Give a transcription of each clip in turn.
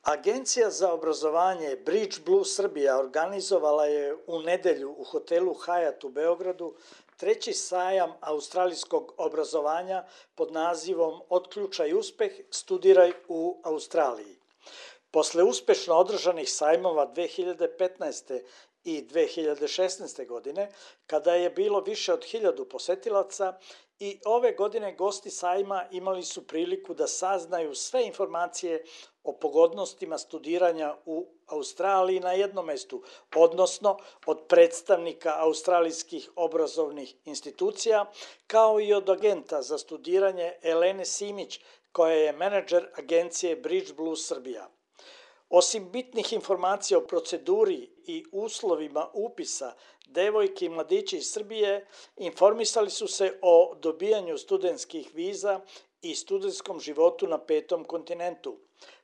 Agencija za obrazovanje Bridge Blue Srbija organizovala je u nedelju u hotelu Hyatt u Beogradu treći sajam australijskog obrazovanja pod nazivom Otključaj uspeh, studiraj u Australiji. Posle uspešno održanih sajmova 2015. i 2016. godine, kada je bilo više od 1000 posetilaca, i ove godine gosti sajma imali su priliku da saznaju sve informacije o pogodnostima studiranja u Australiji na jednom mestu, odnosno od predstavnika australijskih obrazovnih institucija, kao i od agenta za studiranje Elene Simić, koja je menadžer agencije Bridge Blue Srbija. Osim bitnih informacija o proceduri i uslovima upisa, devojke i mladići iz Srbije informisali su se o dobijanju studentskih viza i studentskom životu na 5. kontinentu.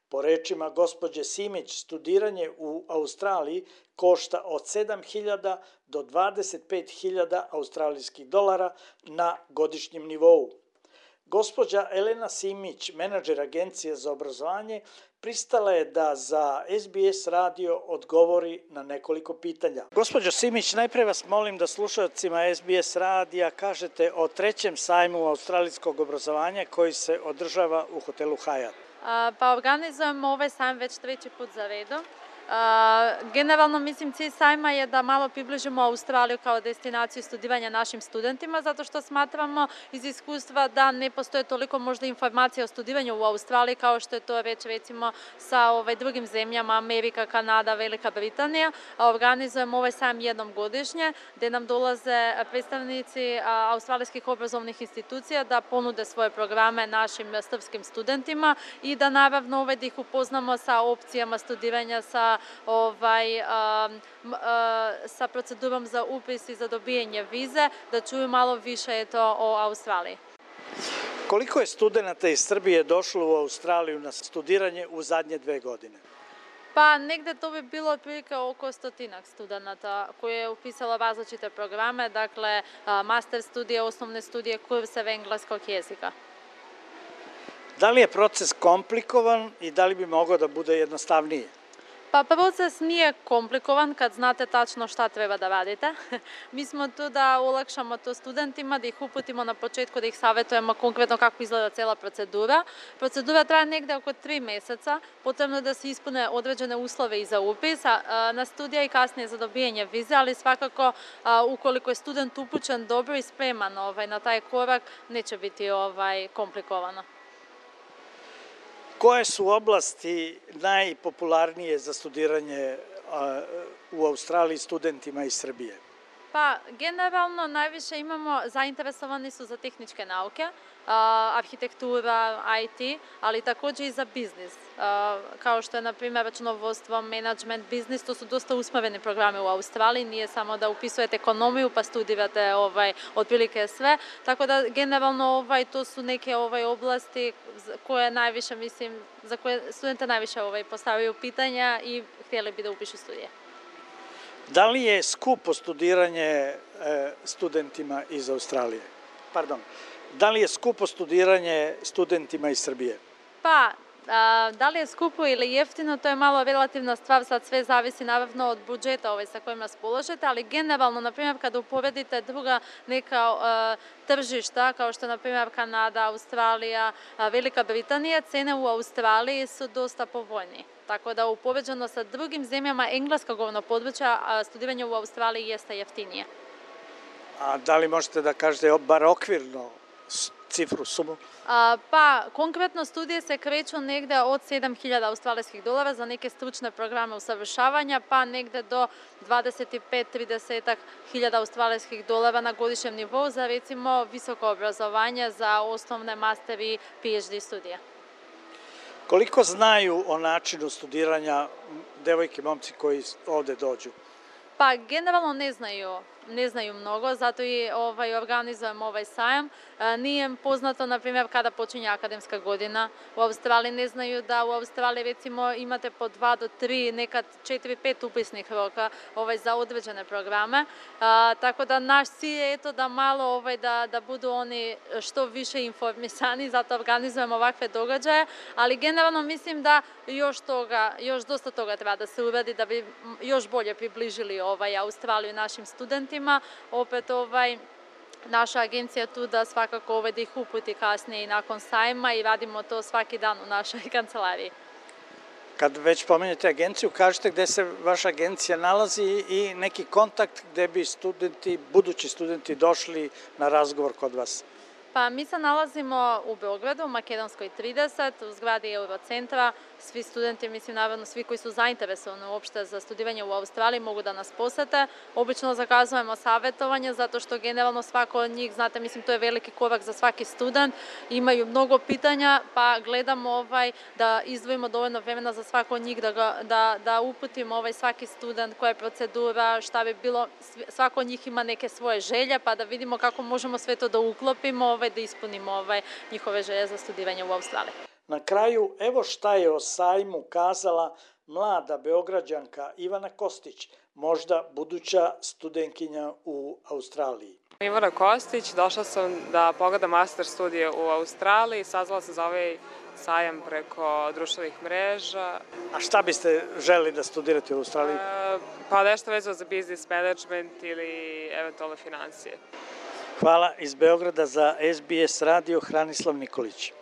Po rečima gospođe Simić, studiranje u Australiji košta od 7.000 do 25.000 australijskih dolara na godišnjem nivou. Gospođa Elena Simić, menadžer agencije za obrazovanje, pristala je da za SBS radio odgovori na nekoliko pitanja. Gospođo Simić, najpre vas molim da slušalcima SBS radija kažete o trećem sajmu australijskog obrazovanja koji se održava u hotelu Hyatt. Pa organizujemo ovaj sajam već treći put za redom. Generalno, mislim, cilj sajma je da malo približimo Australiju kao destinaciju studiranja našim studentima, zato što smatramo iz iskustva da ne postoje toliko možda informacija o studiranju u Australiji kao što je to već recimo sa drugim zemljama, Amerika, Kanada, Velika Britanija. Organizujemo ovaj sajam jednom godišnje, gde nam dolaze predstavnici australijskih obrazovnih institucija da ponude svoje programe našim srpskim studentima i da naravno da ih upoznamo sa opcijama studiranja, sa procedurom za upis i za dobijanje vize, da čuju malo više o Australiji. Koliko je studenta iz Srbije došlo u Australiju na studiranje u zadnje 2 godine? Pa negde to bi bilo otprilike oko 100 studenta koje je upisalo različite programe, dakle master studije, osnovne studije, kurseve engleskog jezika. Da li je proces komplikovan i da li bi mogao da bude jednostavniji? Pa proces nije komplikovan kad znate tačno šta treba da radite. Mi smo tu da olakšamo to studentima, da ih uputimo na početku, da ih savjetujemo konkretno kako izgleda cela procedura. Procedura traje negde oko 3 meseca, potrebno je da se ispune određene uslove i za upis, na studija i kasnije za dobijanje vize, ali svakako ukoliko je student upućen dobro i spreman na taj korak, neće biti komplikovano. Koje su oblasti najpopularnije za studiranje u Australiji studentima iz Srbije? Pa, generalno najviše zainteresovani su za tehničke nauke, arhitektura, IT, ali takođe i za biznis, kao što je, na primjer, računovodstvo, menadžment, biznis, to su dosta usmereni programe u Australiji, nije samo da upisujete ekonomiju pa studirate otprilike sve, tako da generalno to su neke oblasti koje najviše, mislim, za koje studente najviše postavljaju pitanja i htjeli bi da upišu studije. Da li je skupo studiranje studentima iz Australije? Pardon, da li je skupo studiranje studentima iz Srbije? Pa, da li je skupo ili jeftino, to je malo relativna stvar, sad sve zavisi naravno od budžeta sa kojim raspoložete, ali generalno, na primjer, kada uporedite druga neka tržišta, kao što je, na primjer, Kanada, Australija, Velika Britanija, cene u Australiji su dosta povoljnije. Tako da, upoređeno sa drugim zemljama engleskog govornog područja, studiranje u Australiji jeste jeftinije. A da li možete da kažete bar okvirno cifru, sumu? Pa, konkretno studije se kreću negde od 7.000 australijskih dolara za neke stručne programe usavršavanja, pa negde do 25-30 hiljada australijskih dolara na godišnjem nivou za, recimo, visoko obrazovanje za osnovne, master i PhD studije. Koliko znaju o načinu studiranja devojke i momci koji ovde dođu? Pa, generalno ne znaju ne znaju mnogo, zato i organizujemo ovaj sajam. Nije im poznato, na primjer, kada počinje akademska godina. U Australiji ne znaju da u Australiji recimo imate po 2 do 3, nekad 4-5 upisnih roka za određene programe. Tako da naš cilj je da malo da budu oni što više informisani, zato organizujemo ovakve događaje, ali generalno mislim da još dosta toga treba da se uradi da bi još bolje približili Australiju našim studentima. Opet naša agencija je tu da svakako da ih uputi kasnije i nakon sajma i radimo to svaki dan u našoj kancelariji. Kad već pomenete agenciju, kažete gde se vaša agencija nalazi i neki kontakt gde bi budući studenti došli na razgovor kod vas. Pa mi se nalazimo u Beogradu, u Makedonskoj 30, u zgradi Eurocentra. Svi studenti, mislim naravno svi koji su zainteresovani uopšte za studiranje u Australiji mogu da nas posete. Obično zakazujemo savjetovanje zato što generalno svako od njih, znate, mislim to je veliki korak za svaki student. Imaju mnogo pitanja pa gledamo da izdvojimo dovoljno vremena za svako od njih da uputimo svaki student koja je procedura, šta bi bilo, svako od njih ima neke svoje želje pa da vidimo kako možemo sve to da uklopimo, da ispunimo njihove želje za studiranje u Australiji. Na kraju, evo šta je o sajmu kazala mlada Beograđanka Ivana Kostić, možda buduća studentkinja u Australiji. Ivana Kostić, došla sam da pogledam master studije u Australiji, saznala sam za ovaj sajam preko društvenih mreža. A šta biste želeli da studirate u Australiji? Pa nešto vezano za business management ili eventualno financije. Hvala iz Beograda za SBS radio, Hranislav Nikolić.